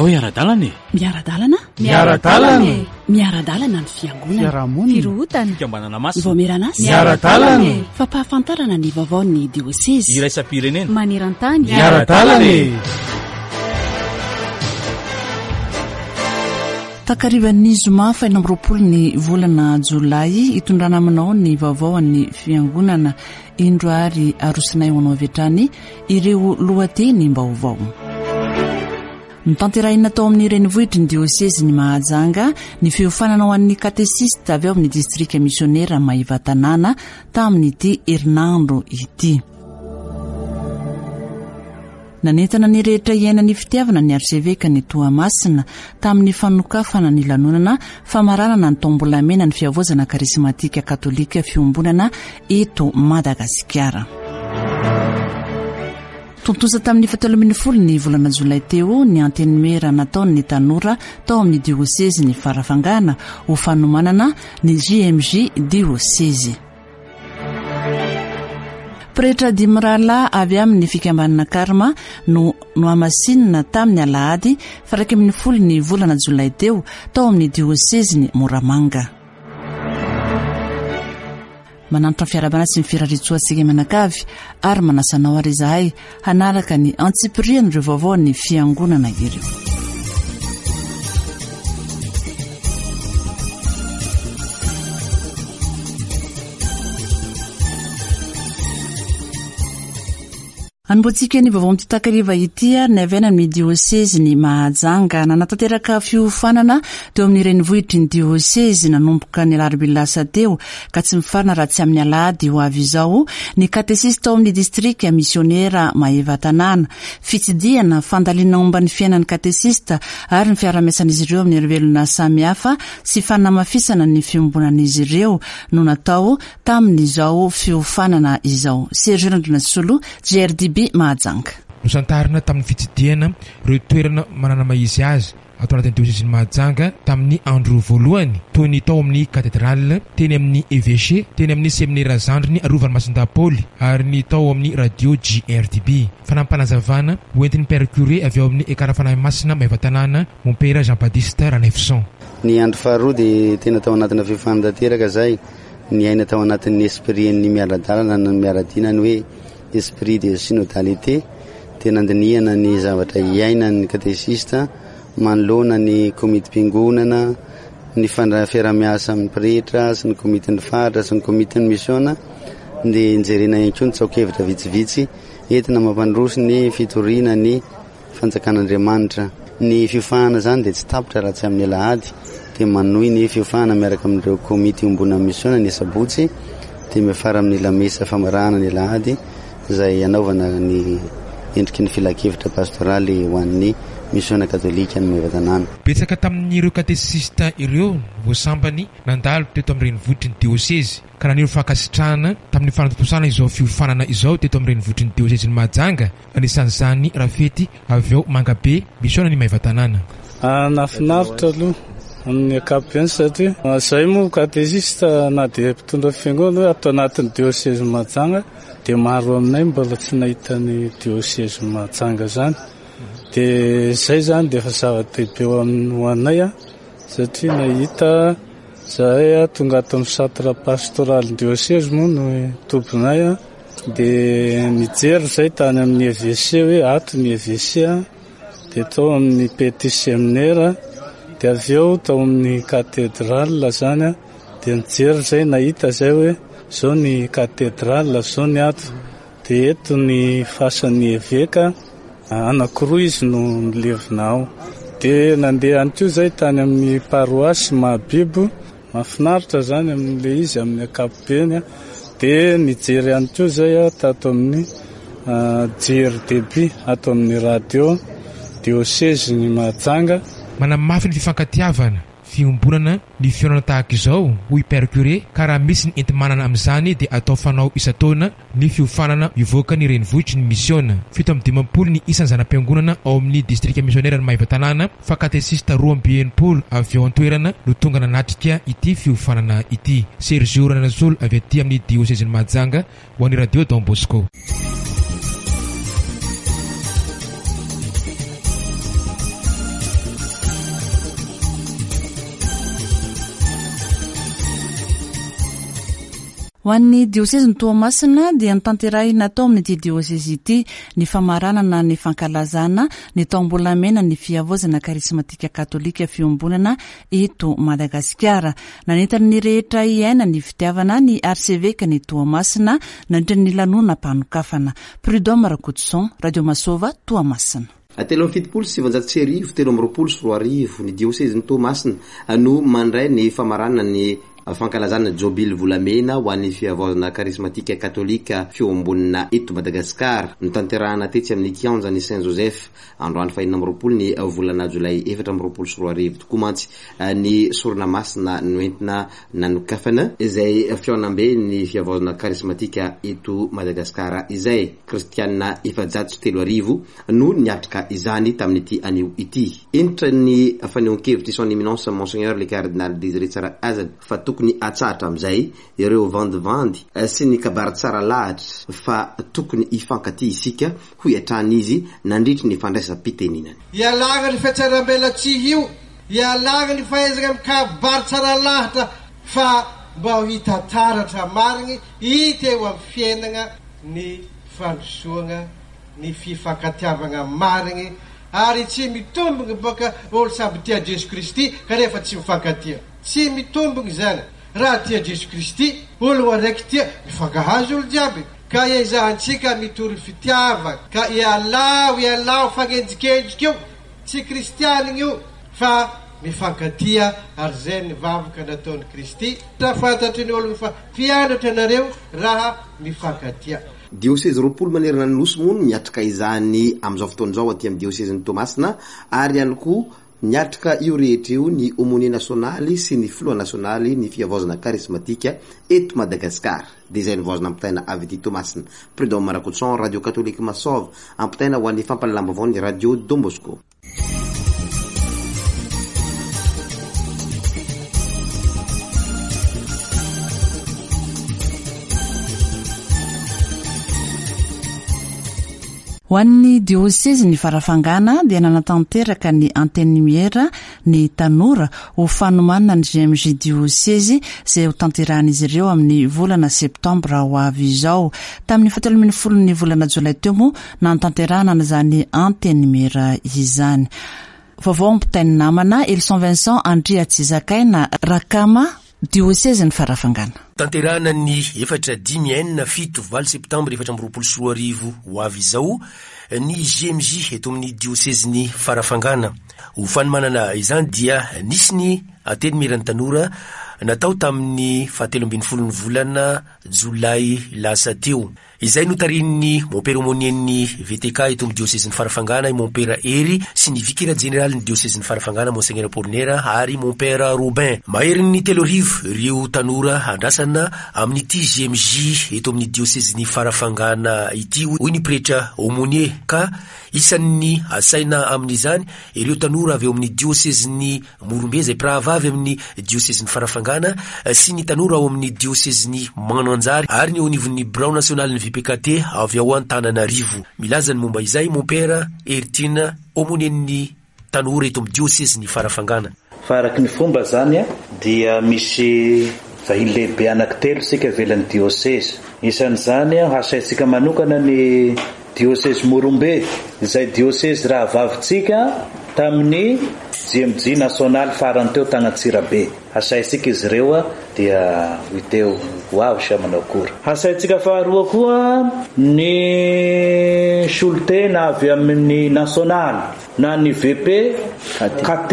Andao hiara-dalana e! Miara-dalana? Miara-dalana e! Miara-dalana ny fiangonana. Fiarahamonina. Firohotana. Fikambanana masina. Vaomieran'asa. Miara-dalana e! Fampahafantarana ny vaovaon'ny diosezy. Iraisam-pirenena. Maneran-tany. Miara-dalana e! Takarivan'ny zoma faha 26 ny volana jolay hitondrana aminao ny vaovao an'ny fiangonana. Indro ary arosinay ho anao avy hatrany ireo lohatenim-baovao. Notanterahina tao amin'ny renivohitry ny diosezin'i Mahajanga ny fiofanana ho an'ny katesista avy ao amin'ny distrika misionera Maevatanàna tamin'ity herinandro ity. Nanentana ny rehetra hiaina ny fitiavana ny arsevekan'i Toamasina tamin'ny fanokafana ny lanonana famaranana ny taom-bolamena ny fihavaozana karismatika katolika fiombonana eto Madagasikara. Tontosa tamin'ny fahatelo ambin'ny folo ny volana jolay teo ny antenimiera nataon'ny tanora tao amin'ny diosezin'i Farafangana ho fanomanana ny JMJ diosezy. Pretra dimy rahalahy avy amin'ny fikambanana Karma no nohamasinina tamin'ny alahady faha-iraika ambin'ny folo ny volana jolay teo tao amin'ny diosezin'i Moramanga. Manantitra ny fiarahabana sy ny firariantsoa antsika mianakavy ary manasa anao ary izahay hanaraka ny antsipirian'ireo vaovaon'ny fiangonana ireo. Anombohantsika ny vaovao amin'ity takariva ity ary ny avy any amin'ny diosezin'i Mahajanga. Nanatanteraka fiofanana teo amin'ny renivohitry ny diosezy nanomboka ny alarobia lasa teo ka tsy mifarana raha tsy amin'ny alahady ho avy izao ny katesista ao amin'ny distrika misionera Maevatanàna. Fitsidihana, fandalinana momba ny fiainan'ny katesista ary ny fiarahamiasan'izy ireo amin'ny herivelona samihafa sy fanamafisana ny fiombonan'izy ireo no natao tamin'izao fiofanana izao. Sergio Randrianasolo, GRDB Mahajanga. Nosantarina tamin'ny fitsidihana ireo toerana manana maha izy azy ato anatin'ny diosezin'i Mahajanga tamin'ny andro voalohany, toy ny tao amin'ny Cathédrale, teny amin'ny Evêché, teny amin'ny Seminera Zandriny Arovan'i Masindahy Paoly ary ny tao amin'ny Radio JRDB. Fanampinazavana hoentin'ny Père Curé avy ao amin'ny Ekara Fanahy Masina Maevatanàna, Mompera Jean Baptiste Ranaivoson. Ny andro faharoa dia tena tao anatina fiofanana tanteraka izahay. Niaina tao anatin'ny esprit-n'ny miara-dalana na ny miara-dina ny hoe esprit de synodalité dia nandinihana ny zavatra iainan'ny katesista manoloana ny komitim-piangonana, ny fiaraha-miasa amin'ny pretra sy ny komitin'ny faritra sy ny komitin'ny misiona dia nijerena ihany koa ny tsaokevitra vitsivitsy entina mampandroso ny fitoriana ny Fanjakan'Andriamanitra. Ny fiofanana izany dia tsy tapitra raha tsy amin'ny alahady, dia manohy ny fiofanana miaraka amin'ireo komity iombonan'ny misiona ny asabotsy, dia miafara amin'ny lamesa famarahana ny alahady izay hanaovana ny endriky ny filankevitra pastoraly ho an'ny misiona katolika any Maevatanàna. Betsaka tamin'ireo katesista ireo vao sambany nandalo teto amin'ny renivohitry ny diosezy ka naneho fankasitrahana tamin'ny fanatontosana izao fiofanana izao teto amin'ny renivohitry ny diosezin'i Mahajanga Anisan'izany Rafety avy ao Mangabe, Misaona ny Maevatanàna. Nahafinaritra aloha amin'ny ankapobeny satria izahay moa katesista na dia mpitondra fiangonana hoe ato anatin'ny diosezin'i Mahajanga dia maro aminay mbola tsy nahita ny diosezin'i Mahajanga izany. Dia izay izany dia efa zava-dehibe ho anay satria nahita izahay tonga ato amin'ny centre pastoral diosezy moa no tobinay. Dia nijery izay tany amin'ny EVC hoe ato ny EVC dia tao amin'ny petit seminaire dia avy eo tao amin'ny cathédrale izany dia nijery izay nahita izay hoe izao ny cathédrale izao ny ato dia eto ny fasan'ny eveka anankiroa izy no milevina ao dia nandeha ihany koa izay tany amin'ny paroasy Mahabibo Mahafinaritra zany amin'ilay izy amin'ny ankapobeny a. Dia nijery ihany koa zay aho tato amin'ny JRDB ato amin'ny radio diosezin'i Mahajanga. Manamafy ny fifankatiavana, fiombonana, ny fihaonana tahaka izao, hoy Père Curé, ka raha misy ny enti-manana amin'izany dia atao fanao isan-taona ny fiofanana mivoaka ny renivohitry ny misiona. 57 ny isan'ny zana-piangonana ao amin'ny distrika misioneran'i Maevatanàna fa katesista 62 avy ao an-toerana no tonga nanatrika ity fiofanana ity. Sergio Rananasolo avy aty amin'ny diosezin'i Mahajanga ho an'ny Radio Don Bosco. Ho an'ny diosezin'i Toamasina dia notanterahina tao amin'ity diosezy ity ny famaranana ny fankalazana ny taom-bolamena ny fihavaozana karismatika katolika fiombonana eto Madagasikara. Nanentana ny rehetra hiaina ny fitiavana ny arsevekan'i Toamasina nandritra ny lanonam-panokafana. Prud'homme Rakotoson, Radio Masova, Toamasina. 1973, 2023, ny diosezin'i Toamasina no mandray ny famaranana ny fankalazana Jobily volamena ho an'ny fihavaozana karismatika katolika fiombonana eto Madagasikara. Notanterahana tetsy amin'ny kianjan'i Saint Joseph androany faha 26 ny volana jolay 2024 tokoa mantsy ny sorona masina noentina nanokafana izay fihaonamben'ny fihavaozana karismatika eto Madagasikara izay. Kristiana 3400 no niatrika izany tamin'ity anio ity. Hentitra ny fanehoan-kevitr'i Son Eminence Monseigneur le Cardinal Désiré Tsarahazana fa tokony hatsahatra amin'izay ireo vandivandy sy ny kabary tsara lahatra fa tokony hifankatia isika, hoy hatrany izy nandritry ny fandraisam-piteninany. Ialagna ny fiatsarambelatsihy io, ialagna ny fahaizagna mikabary tsara lahatra fa mba ho hita taratra marigny hita eo amin'ny fiainagna ny fandrosoagna ny fifankatiavagna marigny ary tsy mitombigny bôka olo samby tia Jeso Kristy kanefa tsy mifankatia. Tsy mitombigny zany. Raha tia Jeso Kristy, ologno araiky tia, mifankahazo olo jiaby. Ka iezahantsika mitory fitiavagna. Ka ialao, ialao fagnenjikendriky io. Tsy kristianigny io fa mifankatia ary zay ny vavaka nataon'i Kristy. Fantatry ny ologno fa mpianatra anareo raha mifankatia. Diosezy 20 manerana ny Nosy moa no miatrika izany amin'izao fotoana izao aty amin'ny diosezin'i Toamasina ary ihany koa miatrika io rehetra io ny Aumônier nasionaly sy ny filoha nasionaly ny fihavaozana karismatika eto Madagasikara. Dia izay no vaozina ampitaina avy aty Toamasina. Prud'homme Rakotoson, Radio Katolika Masova, ampitaina ho an'ny fampahalalam-baovaon'ny Radio Don Bosco. Ho an'ny diosezin'i Farafangana dia nanatanteraka ny Antenimiera ny tanora ho fanomanana ny GMJ diosezy izay hotanterahan'izy ireo amin'ny volana septambra ho avy izao. Tamin'ny fahatelo ambin'ny folon'ny volana jolay teo moa nanatanterahana an'izany Antenimiera izany. Vaovao ampitain'ny namana Elson Vincent Andriatsizakaina Rakama, Diosezin'i Farafangana. Tanterahana ny 4, 5, 6, 7, 8 septambra 2024 ho avy izao ny GMJ eto amin'ny diosezin'i Farafangana. Ho fanomanana izany dia nisy ny Antenimieran'ny tanora natao tamin'ny fahatelo ambin'ny folon'ny volana jolay lasa teo. Izay notarihin'ny Mompera Aumônier-n'ny VTK eto amin'ny diosezin'i Farafangana i Mompera Hery sy ny Vikera Jeneralin'ny diosezin'i Farafangana Monseigneur Apollinaire ary Mompera Robin. Maherin'ny 3000 ireo tanora andrasana amin'ity GMJ eto amin'ny diosezin'i Farafangana ity hoy ny pretra Aumônier ka isan'ny asaina amin'izany ireo tanora avy ao amin'ny diosezin'i Morombe izay mpirahavavy amin'ny diosezin'i Farafangana sy ny tanora ao amin'ny diosezin'i Mananjary ary ny eo anivon'ny birao nasionalin'ny VPKT avy ao Antananarivo. Milaza ny momba izay Mompera Heritiana, Aumônier-n'ny tanora eto amin'ny diosezin'i Farafangana. Fa araky ny fomba izany dia misy vahiny lehibe anankitelo isika ivelan'ny diosezy. Isan'izany hasaintsika manokana ny Diosezy Morombe, izay diosezy rahavavintsika tamin'ny JMJ nasionaly farany teo tagny Antsirabe. Hasaintsika izy ireo dia ho hita eo ho avy sa manao akory. Hasaintsika faharoa koa ny solontena avy amin'ny nasionaly na ny VP KT.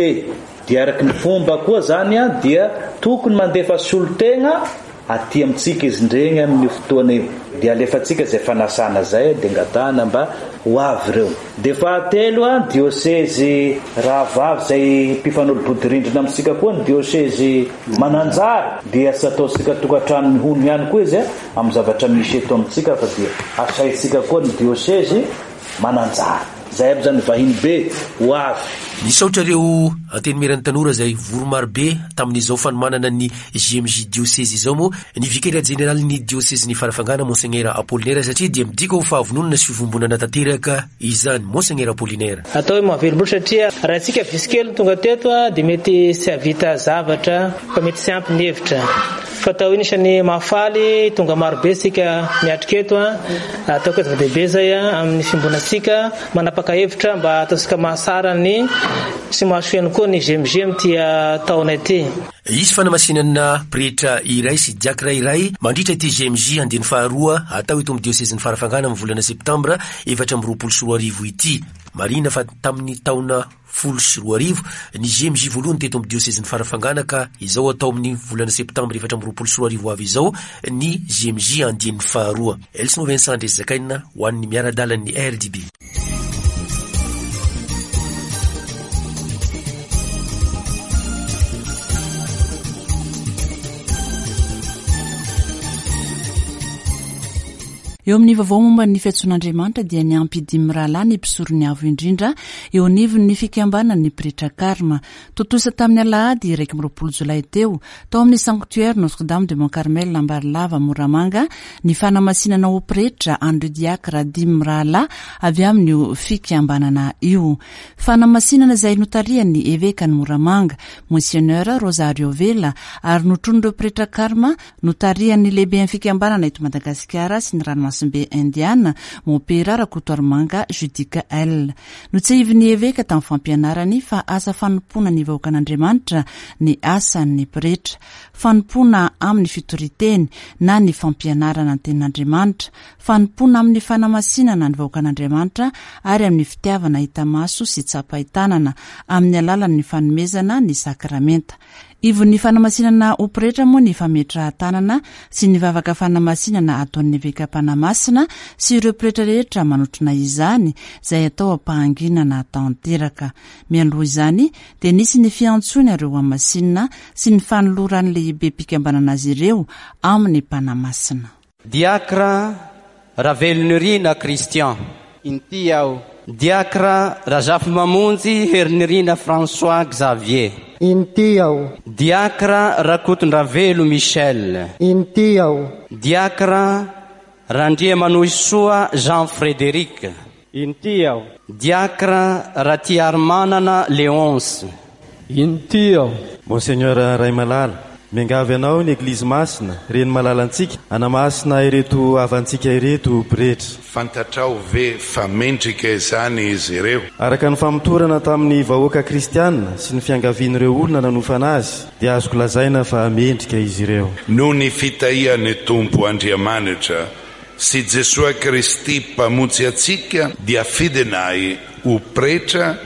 Dia araky ny fomba koa zany dia tokony mandefa solontena Aty amintsika izy ndregny amin'io fotoana io dia alefantsika izay fanasana izay dia angatahana mba ho avy ireo. Dia fahatelo an, diosezy rahavavy izay mpifanolo-bodirindrina amintsika koa ny diosezy Mananjary dia tsy ataontsika tokantrano mihono ihany koa izy amin'ny zavatra misy eto amintsika fa dia asaintsika koa ny diosezy Mananjary. Izay aby izany vahiny be ho avy. Nisaotra ireo Antenimieran'ny Tanora izay vory marobe tamin'izao fanomanana ny JMJ Diosezy izao moa ny Vikera Jeneralin'ny Diosezin'i Farafangana Monseigneur Apollinaire satria dia midika ho fahavononana sy fiombonana tanteraka izany. Monseigneur Apollinaire. Atao hoe mahavelom-bolo satria raha isika visy kely no tonga teto dia mety tsy hahavita zavatra fa mety tsy ampy ny hevitra. Fa atao anisan'ny mahafaly tonga maro be isika miatrika eto a. Ataoko hoe zava-dehibe izay amin'ny fiombonantsika manapaka hevitra mba ataontsika mahasara ny sy mahasoa ihany koa ny GMG amin'ity taona ity. Hisy fanamasinana pretra iray sy diakra iray mandritra ity GMJ andiany faharoa hatao eto amin'ny diosezin'i Farafangana amin'ny volana septambra 2024 ity. Marihina fa tamin'ny taona 2010 ny GMJ voalohany teto amin'ny diosezin'i Farafangana ka izao hatao amin'ny volana septambra 2024 ho avy izao ny GMJ andiany faharoa. Elson Vincent Andrezakaina ho an'ny miara-dalan'ny RDB. Eo amin'ny vaovao momba ny fiantsoan'Andriamanitra dia niampy dimy rahalahy ny mpisoron'ny Avo Indrindra eo anivon'ny fikambanan'ny Pretra Karma. Tontosa tamin'ny alahady 21 jolay teo, tao amin'ny Sanctuaire Notre Dame de Mont Carmel Ambarilava Moramanga, ny fanamasinana ho pretra an'ireo diakra dimy mirahalahy avy amin'io fikambanana io. Fanamasinana izay notarihan'ny evekan'i Moramanga, Monseigneur Rosario Vela, ary notron'ireo pretra karma notarihan'ny lehiben'ny fikambanana eto Madagasikara sy ny ranomasimbe Indiana, Mompera Rakotoarimanga Judicaël. Notsiahivin'ny eveka tamin'ny fampianarany fa asa fanompoana ny vahoakan'Andriamanitra ny asan'ny pretra. Fanompoana amin'ny fitorian-teny na ny fampianarana ny Tenin'Andriamanitra, fanompoana amin'ny fanamasinana ny vahoakan'Andriamanitra ary amin'ny fitiavana hita maso sy tsapain-tanana amin'ny alalan'ny fanomezana ny sakramenta. Ivon'ny fanamasinana ho pretra moa ny fametrahan-tanana sy ny vavaka fanamasinana ataon'ny eveka mpanamasina sy ireo pretra rehetra manotrona izany, izay atao am-pahanginana tanteraka. Mialoha izany dia nisy ny fiantsoana ireo hamasinina sy ny fanoloran'ny lehibem-pikambanana azy ireo amin'ny mpanamasina. Diakra Ravelonirina Christian. Inty aho. Diakra Razafimamonjy Herinirina François Xavier. Inty aho. Diakra Rakotondravelo Michel. Inty aho. Diakra Randriamanohisoa Jean Frédéric. Inty aho. Diacre Ratiarimanana Léonce. Inty aho. Monseigneur Raimalala, miangavy anao ny Eglizy Masina, Reny malalantsika, hanamasina ireto havantsika ireto ho pretra. Fantatrao ve fa mendrika izany izy ireo? Araka ny famotorana tamin'ny vahoaka kristiana sy ny fiangavian'ireo olona nanofana azy, dia azoko lazaina fa mendrika izy ireo. Noho ny fitahian'ny Tompo Andriamanitra sy Jesoa Kristy Mpamonjy antsika dia fidinay ho pretra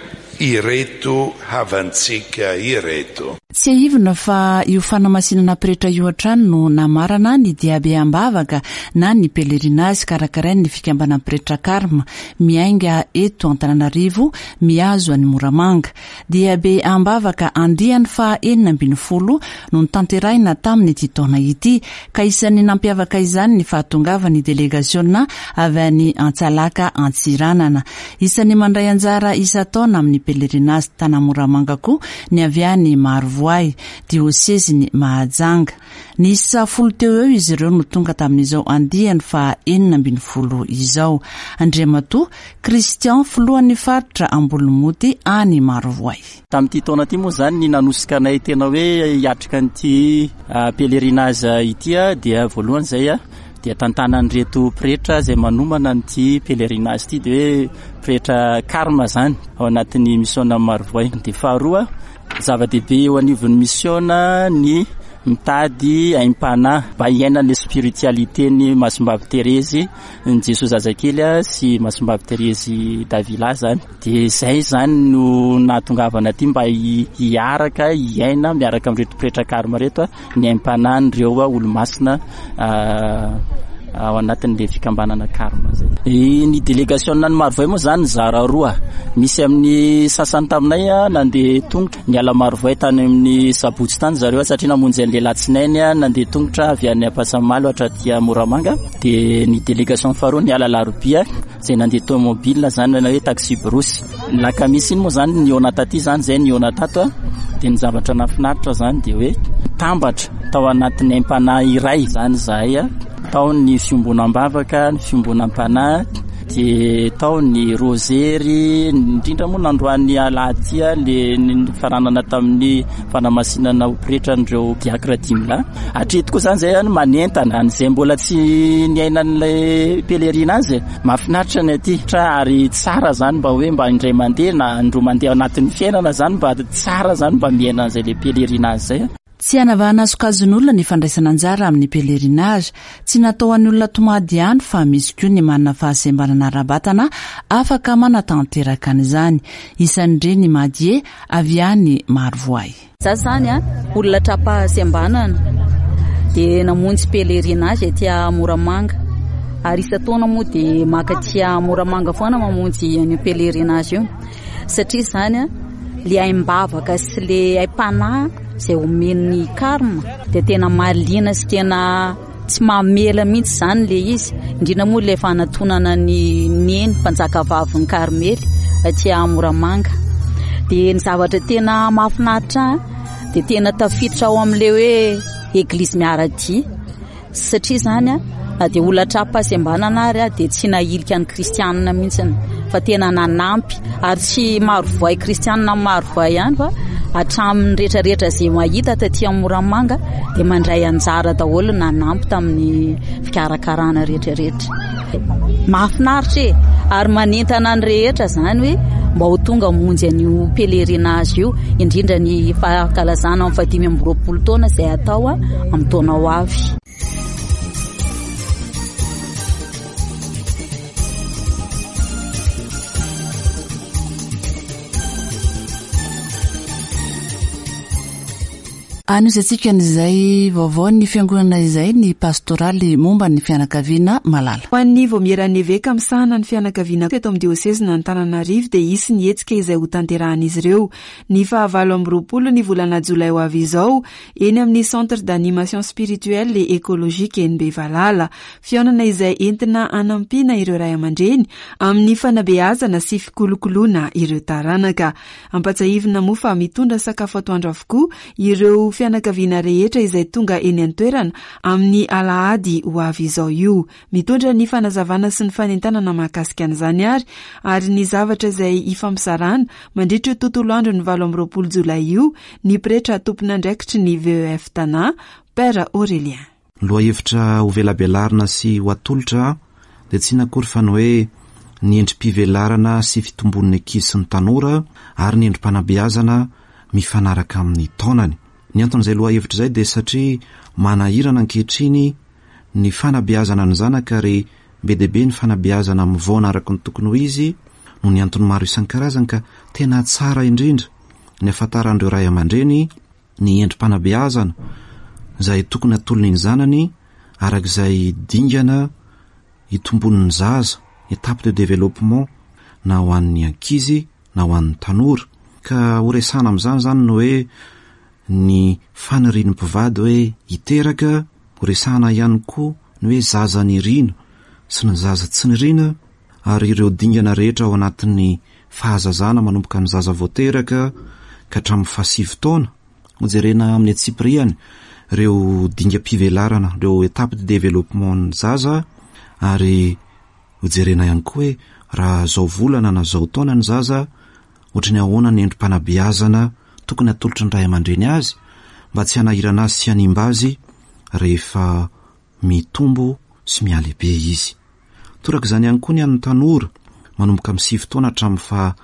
ireto havantsika ireto. Tsiahivina fa io fanamasinana pretra io hatrany no namarana ny diabe am-bavaka na ny pèlerinage karakarain'ny fikambanan'ny pretra Karma miainga eto Antananarivo mihazo an'i Moramanga. Diabe am-bavaka andiany faha 16 no notanterahina tamin'ity taona ity, ka isan'ny nampiavaka izany ny fahatongavan'ny delegasiona avy any Antsalaka Antsiranana. Isan'ny mandray anjara isan-taona amin'ny pèlerinage Tana Moramanga koa ny avy any Marovoay, diosezin'i Mahajanga. Niisa folo teo eo izy ireo no tonga tamin'izao andiany faha 16 izao. Andriamatoa Christian, filohan'ny faritra Ambolomoty any Marovoay. Tamin'ity taona ity moa izany ny nanosika anay tena hoe hiatrika an'ity pèlerinage ity dia voalohany izay dia tantanan'ireto pretra izay manomana an'ity pèlerinage ity dia hoe pretra carme izany ao anatin'ny misiona Marovoay. Dia faharoa zava-dehibe eo anivon'ny misiona ny mitady aim-panahy mba hiainana spiritualité-n'ny Masimbavy Terezy Ny Jesoa zazakely sy Masimbavy Terezy Davila zany. Dia izay zany no nahatongavana aty mba hiaraka hiaina miaraka amin'ireto pretra karma ireto ny aim-panahin'ireo olomasina ao anatin'ilay fikambanana karma zay. Ny délégation an'i Marovoay moa zany nizara roa. Misy amin'ny sasany taminay nandeha tongotra Niala Marovoay tany amin'ny sabotsy tany zareo satria namonjy an'ilay alatsinainy nandeha tongotra avy any Ampasamalo hatraty Moramanga. Dia ny délégation faharoa niala alarobia izay nandeha tomobile zany na hoe taxi brousse. Ny lakamisy iny moa zany nihaona taty zany izay nihaona tato. Dia ny zavatra nahafinaritra zany dia hoe nitambatra tao anatin'ny aim-panahy iray zany izahay. Tao ny fiombonam-bavaka, ny fiombonam-panahy. dia tao ny rozery, indrindra moa nandroany alahady ity le nifaranana tamin'ny fanamasinana ho pretra an'ireo diakra dimy lahy. Hatreto koa izany izay any manentana an'izay mbola tsy niaina an'ilay pèlerinage. Mahafinaritra ny aty ary tsara izany mba hoe mba indray mandeha na indroa mandeha ao anatin'ny fiainana izany mba tsara izany mba miaina an'izay le pèlerinage izay. Tsy hanavahana sokajin'olona ny fandraisana anjara amin'ny pèlerinage. Tsy natao ho an'ny olona tomady ihany fa misy koa ny manana fahasembanana ara-batana afaka manatanteraka an'izany. Isan'ireny i Madie avy any Marovoay. Za zany a, olona tra-pahasembanana dia namonjy pèlerinage aty Moramanga ary isan-taona moa dia maka aty Moramanga foana mamonjy an'io pèlerinage io. Satria izany an, le aim-bavaka sy le aim-panahy izay omen'ny karma dia tena mahaliana sy tena tsy mamela mihitsy izany le izy. Indrindra moa ilay fanatonana ny neny mpanjakavavin'ny Karmely aty Moramanga. Dia ny zavatra tena mahafinaritra ahy dia tena tafiditra ao amin'ilay hoe eglizy miara-dia. Satria izany an, na dia olona tra-pahasembanana ary aho dia tsy nahilika ny kristianina mihitsy fa tena nanampy ary tsy marovoay kristianina amin'ny marovoay ihany fa hatramin'ny rehetrarehetra izay mahita taty amin'ny Moramanga dia mandray anjara daholo nanampy tamin'ny fikarakarana rehetrarehetra. Mahafinaritra e! Ary manentana ny rehetra izany hoe mba ho tonga hamonjy an'io pèlerinage io, indrindra ny fankalazana amin'ny fahadimy amby roapolo taona izay hatao amin'ny taona ho avy. Anohizantsika an'izay vaovaon'ny fiangonana izay ny pastoraly momba ny fianakaviana malala. Ho an'ny Vaomieran'ny Eveka misahana ny fianakaviana eto amin'ny diosezin'Antananarivo dia hisy ny hetsika izay hotanterahan'izy ireo ny faha 28 ny volana jolay ho avy izao eny amin'ny Centre d'Animation Spirituelle et Ecologique eny Bevalala. Fihaonana izay entina hanampiana ireo ray aman-dreny amin'ny fanabeazana sy fikolokoloana ireo taranaka. Ampatsahivina moa fa mitondra sakafo atoandro avokoa ireo fianakaviana rehetra izay tonga eny an-toerana amin'ny alahady ho avy izao io. Mitondra ny fanazavana sy ny fanentanana mahakasika an'izany ary ary ny zavatra izay hifampizarana mandritra io tontolo andron'ny 28 jolay io ny pretra tompon'andraikitry ny VEF Tana, Père Aurélien. Ny lohahevitra hovelabelarina sy ho atolotra dia tsy inona akory fa ny hoe ny endri-pivelarana sy fitombon'ny ankizy sy ny tanora ary ny endri-panabeazana mifanaraka amin'ny taonany. Ny anton'izay lohahevitra izay dia satria manahirana ankehitriny ny fanabeazana ny zanaka ary be dia be ny fanabeazana mivaona araka ny tokony ho izy noho ny antony maro isan-karazany ka tena tsara indrindra ny ahafantaran'ireo ray aman-dreny ny endri-panabeazana izay tokony hatolony ny zanany araka izay dingana hitomboan'ny zaza, étape de développement, na ho an'ny ankizy na ho an'ny tanora. Ka ho resahana amin'izany izany ny hoe ny fanirian'ny mpivady hoe hiteraka, ho resahana ihany koa ny hoe zaza niriana sy ny zaza tsy niriana ary ireo dingana rehetra ao anatin'ny fahazazana manomboka ny zaza vao teraka ka hatramin'ny fahasivy taona. Hojerena amin'ny antsipiriany ireo dingam-pivelarana, ireo étapes de développement ny zaza ary hojerena ihany koa hoe raha zao volana na zao taona ny zaza, ohatry ny ahoana ny endri-panabeazana tokony hatolotry ny ray aman-dreny azy mba tsy hanahirana azy sy hanimba azy rehefa mitombo sy mihalehibe izy. Toraka izany ihany koa ny an'ny tanora, manomboka amin'ny sivy taona hatramin'ny faha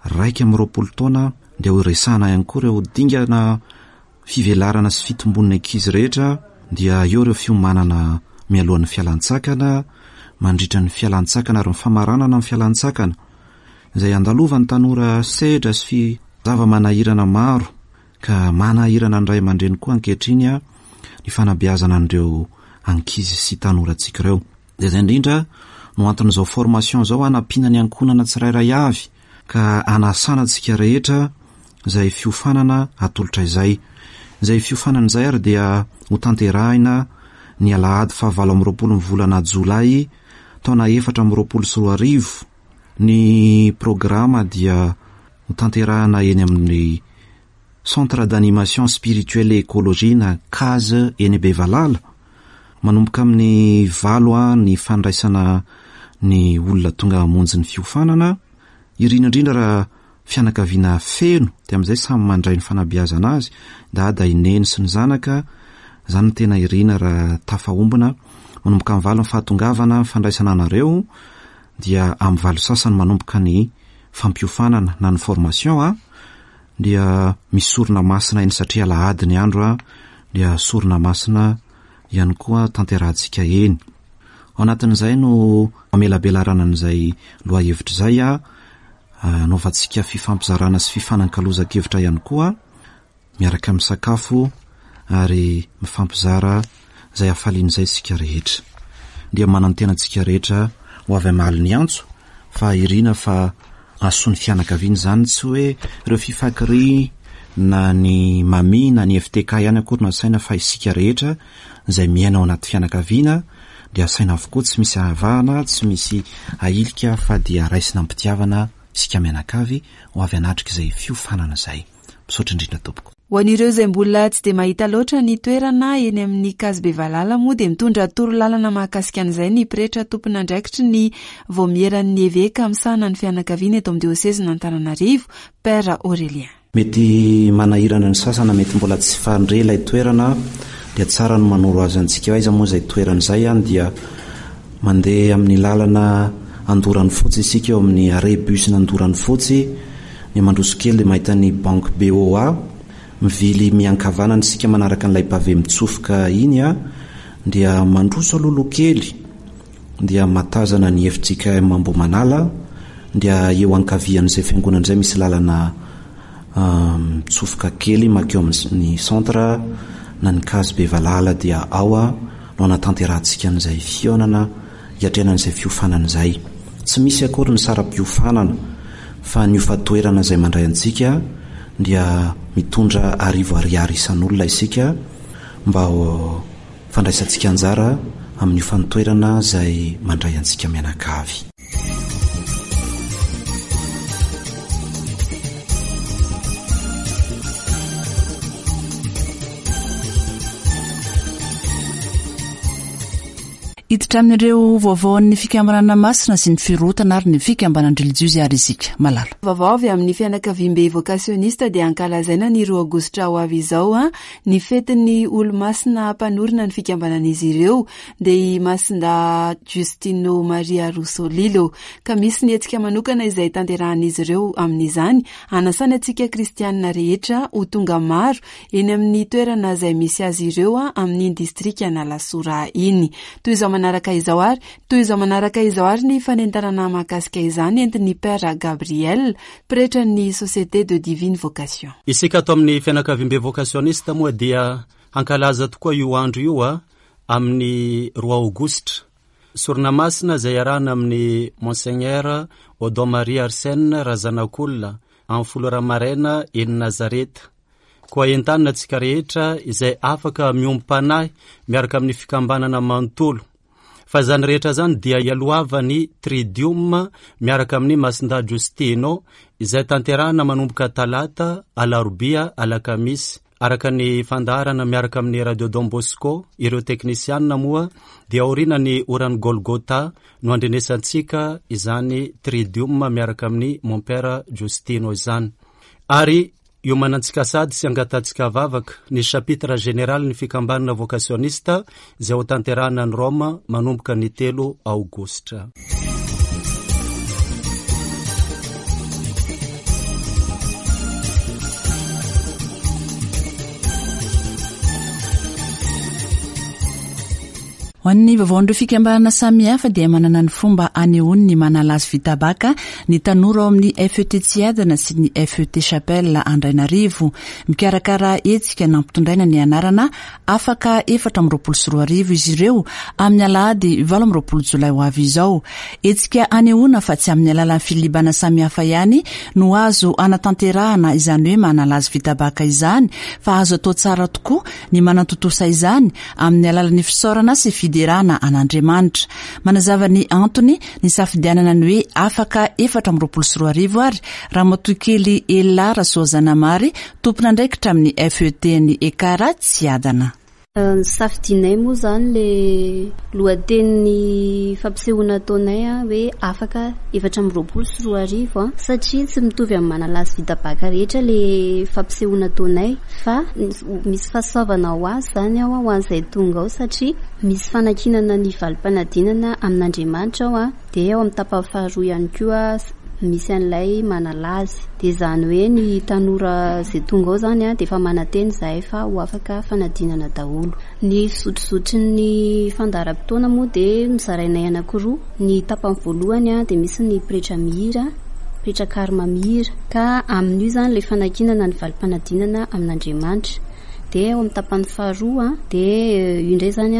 21 taona dia ho resahana ihany koa ireo dingana fivelarana sy fitombon'ny ankizy rehetra dia eo ireo fiomanana mialohan'ny fialan-tsakana, mandritra ny fialan-tsakana ary ny famaranana ny fialan-tsakana izay andalovan'ny tanora sedra sy fi zava-manahirana maro Ka manahirana ny ray aman-dreny koa ankehitriny ny fanabeazana an'ireo ankizy sy tanorantsika ireo. Dia izay indrindra no anton'izao formation izao hanampiana ny ankohonana tsirairay avy ka hanasana antsika rehetra izay fiofanana atolotra izay. Izay fiofanana izay ary dia hotanterahina ny alahady faha 28 ny volana jolay taona 2024. Ny programa dia Hotanterahana eny amin'ny Centre d'Animation Spirituelle et Écologie na Case eny Bevalala. Manomboka amin'ny valo ny fandraisana ny olona tonga hamonjy ny fiofanana. Irina indrindra raha fianakaviana feno dia amin'izay samy mandray ny fanabeazana azy, dada, i neny sy ny zanaka, izany no tena irina raha tafahombona. Manomboka amin'ny valo ny fahatongavana, ny fandraisana anareo dia amin'ny valo sasany manomboka ny fampiofanana na ny formation a, dia misy sorona masina eny satria alahady ny andro a, dia sorona masina ihany koa tanterahantsika eny. Ao anatin'izay no amelabelarana an'izay lohahevitra izay a, anaovantsika fifampizarana sy fifanankalozan-kevitra ihany koa, miaraka misakafo ary mifampizara izay hafaliana izay isika rehetra. Dia manantena antsika rehetra ho avy hamaly ny antso fa irina fa hahasoa ny fianakaviana izany, tsy hoe ireo Fifakri na ny Mami na ny FTK ihany akory no asaina fa isika rehetra izay miaina ao anaty fianakaviana dia asaina avokoa, tsy misy ahavahana, tsy misy ahilika fa dia raisina am-pitiavana isika mianakavy ho avy hanatrika izay fiofanana izay. Misaotra indrindra tompoko. Ho an'ireo izay mbola tsy dia mahita loatra ny toerana eny amin'ny Case Bevalala moa dia mitondra torolalana mahakasika an'izay ny pretra tompon'andraikitry ny vaomieran'ny eveka misahana ny fianakaviana eto amin'ny diosezin'Antananarivo, Père Aurélien. Mety manahirana ny sasany na mety mbola tsy fandre ilay toerana dia tsara ny manoro azy antsika hoe aiza moa izay toerana izay an dia mandeha amin'ny lalana Andoranofotsy isika eo amin'ny arrêt bus n'Andoranofotsy Ny mandroso kely dia mahita ny banque BOA, mivily miankavanana isika manaraka an'ilay pavé mitsofoka iny a, dia mandroso alohaloha kely dia matazana ny fjkm Ambohimanala, dia eo ankavian'izay fiangonana izay misy lalana mitsofoka kely makeo amin'ny centre na ny case Bevalala dia ao no anatanterahantsika an'izay fihaonana hiatrehana an'izay fiofanana izay. Tsy misy akory ny saram-piofanana fa ny hofa-toerana izay mandray antsika dia mitondra arivo ariary isan'olona isika mba ho fandraisantsika anjara amin'ny hofan-toerana izay mandray antsika mianakavy. Hiditra amin'ireo vaovaon'ny fikambanana masina sy ny firohotana ary ny fikambanan-drelijiozy ary isika. Malala. Vaovao avy amin'ny fianakaviambe vokasionista dia ankalazaina ny roa aogositra ho avy izao ny fetin'ny olomasina mpanorina ny fikambanan'izy ireo dia i Masindahy Giustino Maria Russolillo ka misy ny hetsika manokana izay tanterahan'izy ireo amin'izany hanasany antsika kristianina rehetra ho tonga maro eny amin'ny toerana izay misy azy ireo amin'iny distrikan'Alasora iny. Toy izao manaraka izao ary toy izao manaraka izao ary ny fanentanana mahakasika izany entin'ny Père Gabriel, pretran'ny Société de Divine Vocation. Isika ato amin'ny fianakaviambe vokasionista moa dia hankalaza tokoa io andro io amin'ny roa aogositra. Sorona masina izay iarahana amin'i Monseigneur Odon Marie Arsène Razanakolona amin'ny folo ora maraina eny Nazareta. Koa entanina antsika rehetra izay afaka miombom-panahy miaraka amin'ny fikambanana manontolo. Fa izany rehetra izany dia ialohavan'ny Tridium miaraka amin'ny Masindahy Giustino izay tanterahina manomboka Talata, Alarobia, Alakamisy. Araka ny fandaharana miaraka amin'ny Radio Don Bosco, ireo teknisianina moa dia aorianan'ny oran'ny Golgotha no andrenesantsika izany Tridium miaraka amin'ny Mon Père Giustino izany. Ary Iomanantsika sady sy angatantsika vavaka ny chapitre général ny fikambanana vokasionista izay ho tanterahina any Roma manomboka ny telo aogositra. Ho an'ny vaovaon'ireo fikambanana samihafa dia manana ny fomba anehoany ny manala azy vita baka ny tanora ao amin'ny FET Tsiadana sy ny FET Chapelle Andrainarivo. Mikarakara hetsika nampitondraina ny anarana Afaka 2024 izy ireo amin'ny alahady 28 jolay ho avy izao. Hetsika anehoana fa tsy amin'ny alalan'ny filibana samihafa ihany no azo anatanterahana izany hoe manala azy vita baka izany fa azo atao tsara tokoa ny manatontosa izany amin'ny alalan'ny fisaorana sy fiderana an'Andriamanitra. Manazava ny antony nisafidianana ny hoe afaka 2024 ary Ramatoakely Ella Rasoazanamary, tompon'andraikitra amin'ny FET-n'ny Ekar Tsiadana. Nosafidianay moa izany ilay lohatenin'ny fampisehoana ataonay hoe afaka 2024 satria tsy mitovy amin'ny manalahy sy vita bacc rehetra ilay fampisehoana ataonay fa misy fahasoavana ho azy izany ao ho an'izay tonga ao satria misy fanankinana ny valim-panadinana amin'Andriamanitra ao dia ao amin'ny tapany faharoa ihany koa misy an'ilay manalazy. Dia izany hoe ny tanora izay tonga ao izany dia efa manantena izahay fa ho afaka fanadinana daholo. Ny fizotrozotry ny fandaharam-potoana moa dia nozarainay anankiroa. Ny tapany voalohany dia misy ny pretra mihira, pretra karma mihira. Ka amin'io izany ilay fanankinana ny valim-panadinana amin'Andriamanitra. Dia ao amin'ny tapany faharoa dia io indray izany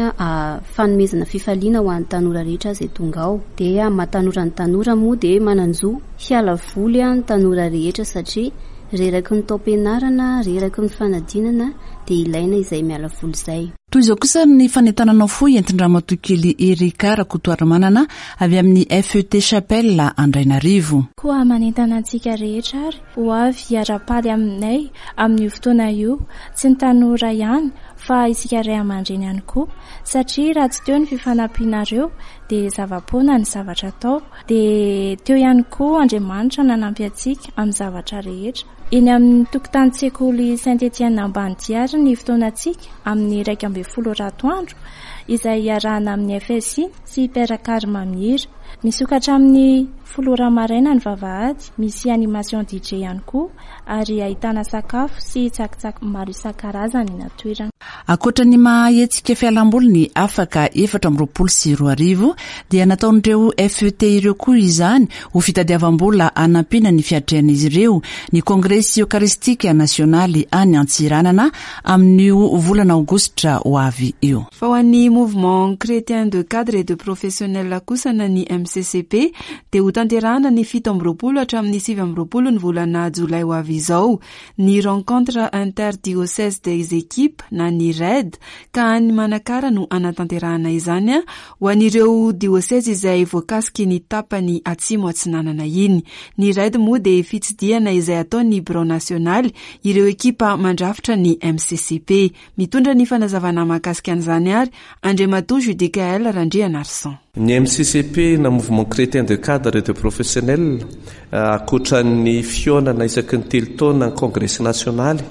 fanomezana fifaliana ho an'ny tanora rehetra izay tonga ao. Dia amin'ny maha tanora ny tanora moa dia manan-jo hiala voly ny tanora rehetra satria reraky ny taom-pianarana, reraky ny fanadinana dia ilaina izay miala voly izay. Toy izao kosa ny fanentanana fohy entin-dRamatoa kely Erica Rakotoarimanana avy amin'ny FET Chapelle Andrainarivo. Koa manentana antsika rehetra ary ho avy hiara-paly aminay amin'io fotoana io, tsy ny tanora ihany fa isika ray aman-dreny ihany koa, satria raha tsy teo ny fifanampianareo dia zava-poana ny zavatra atao, dia teo ihany koa Andriamanitra nanampy antsika amin'ny zavatra rehetra. Eny amin'ny tokotanin-tsekoly Saint Etienne Ambanidia ary ny fotoanantsika amin'ny 11 ora atoandro, izay iarahana amin'ny FSI sy Père Carme mihira. Misokatra amin'ny folo ora maraina ny vavahady, misy animation DJ ihany koa ary ahitana sakafo sy tsakitsaky maro isan-karazany eny an-toerana. Ankoatra ny maha hetsika fialamboly ny Afaka 2024 dia nataon'ireo FET ireo koa izany ho fitadiavam-bola hanampiana ny fiatrehan'izy ireo ny Kongresy Eokaristika Nasionaly any Antsiranana amin'io volana aogositra ho avy io. Fa ho an'ny Mouvement Chrétien de Cadres et de Professionnels kosa na ny MCCP dia hotanterahana ny 27 hatramin'ny 29 ny volana jolay ho avy izao ny Rencontre Inter-Diocèse des Équipes na ny RED ka any Manakara no hanatanterahana izany ho an'ireo diosezy izay voakasiky ny tapany atsimo atsinanana iny. Ny RED moa dia fitsidihana izay ataon'ny birao nasionaly ireo ekipa mandrafitra ny MCCP. Mitondra ny fanazavana mahakasika an'izany ary Andriamatoa Judicaël Randrianarison. Ny MCCP na Mouvement Chrétien de Cadres et de Professionnels, ankoatra ny fihaonana isaky ny telo taona ny Kongresy Nasionaly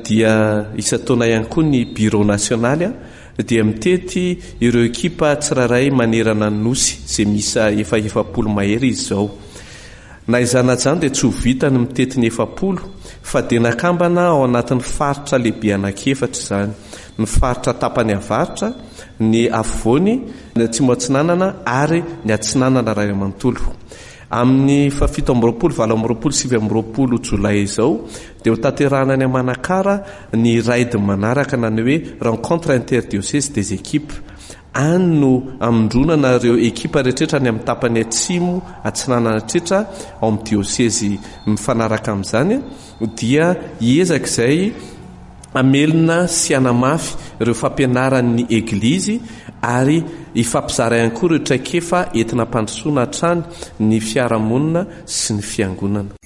dia isan-taona ihany koa ny Birao Nasionaly dia mitety ireo ekipa tsirairay manerana ny Nosy izay miisa efa 40 mahery izy izao. Na izany na izany dia tsy ho vita ny mitety ny 40 fa dia nakambana ao anatin'ny faritra lehibe anankiefatra izany, ny faritra tapany avaratra, ny afovoany, ny atsimo atsinanana ary ny atsinanana iray manontolo. Amin'ny faha 27, 28, 29 jolay izao dia ho tanterahina any Manakara ny raid manaraka na ny hoe rencontre interdiocèse des équipes. Any no hamondronana ireo ekipa rehetrretra any amin'ny tapany atsimo atsinanana rehetrretra ao amin'ny diosezy mifanaraka amin'izany dia hiezaka izay hamelona sy hanamafy ireo fampianaran'ny Eglizy ary hifampizara ihany koa ireo traikefa entina hampandrosoana hatrany ny fiarahamonina sy ny fiangonana.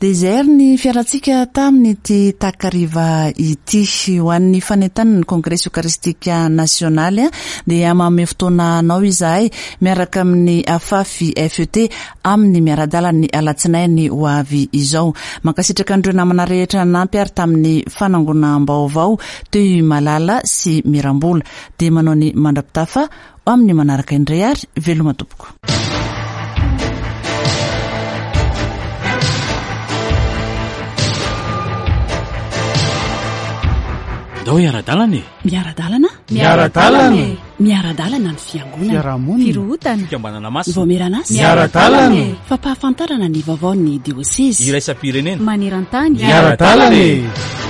Désert ny fiarantsika tamin'ity takariva ity. Ho an'ny fanentanana ny Kongresy Eokaristika Nasionaly dia manome fotoana anao izahay miaraka amin'ny Afafi FET amin'ny miara-dalana ny alatsinainy ho avy izao. Mankasitraka an'ireo namana rehetra nanampy ary tamin'ny fanangonam-baovao teo i Malala sy Mirambola. Dia manao ny mandra-pitafa ho amin'ny manaraka indray ary veloma tompoko. Ndao hiara-dalana e! Miara-dalana? Miara-dalana e! Miara-dalana ny fiangonana. Fiarahamonina. Firohotana. Fikambanana masina. Vaomieran'asa. Miara-dalana e! Fampahafantarana ny vaovaon'ny diosezy. Iraisam-pirenena. Maneran-tany. Miara-dalana e!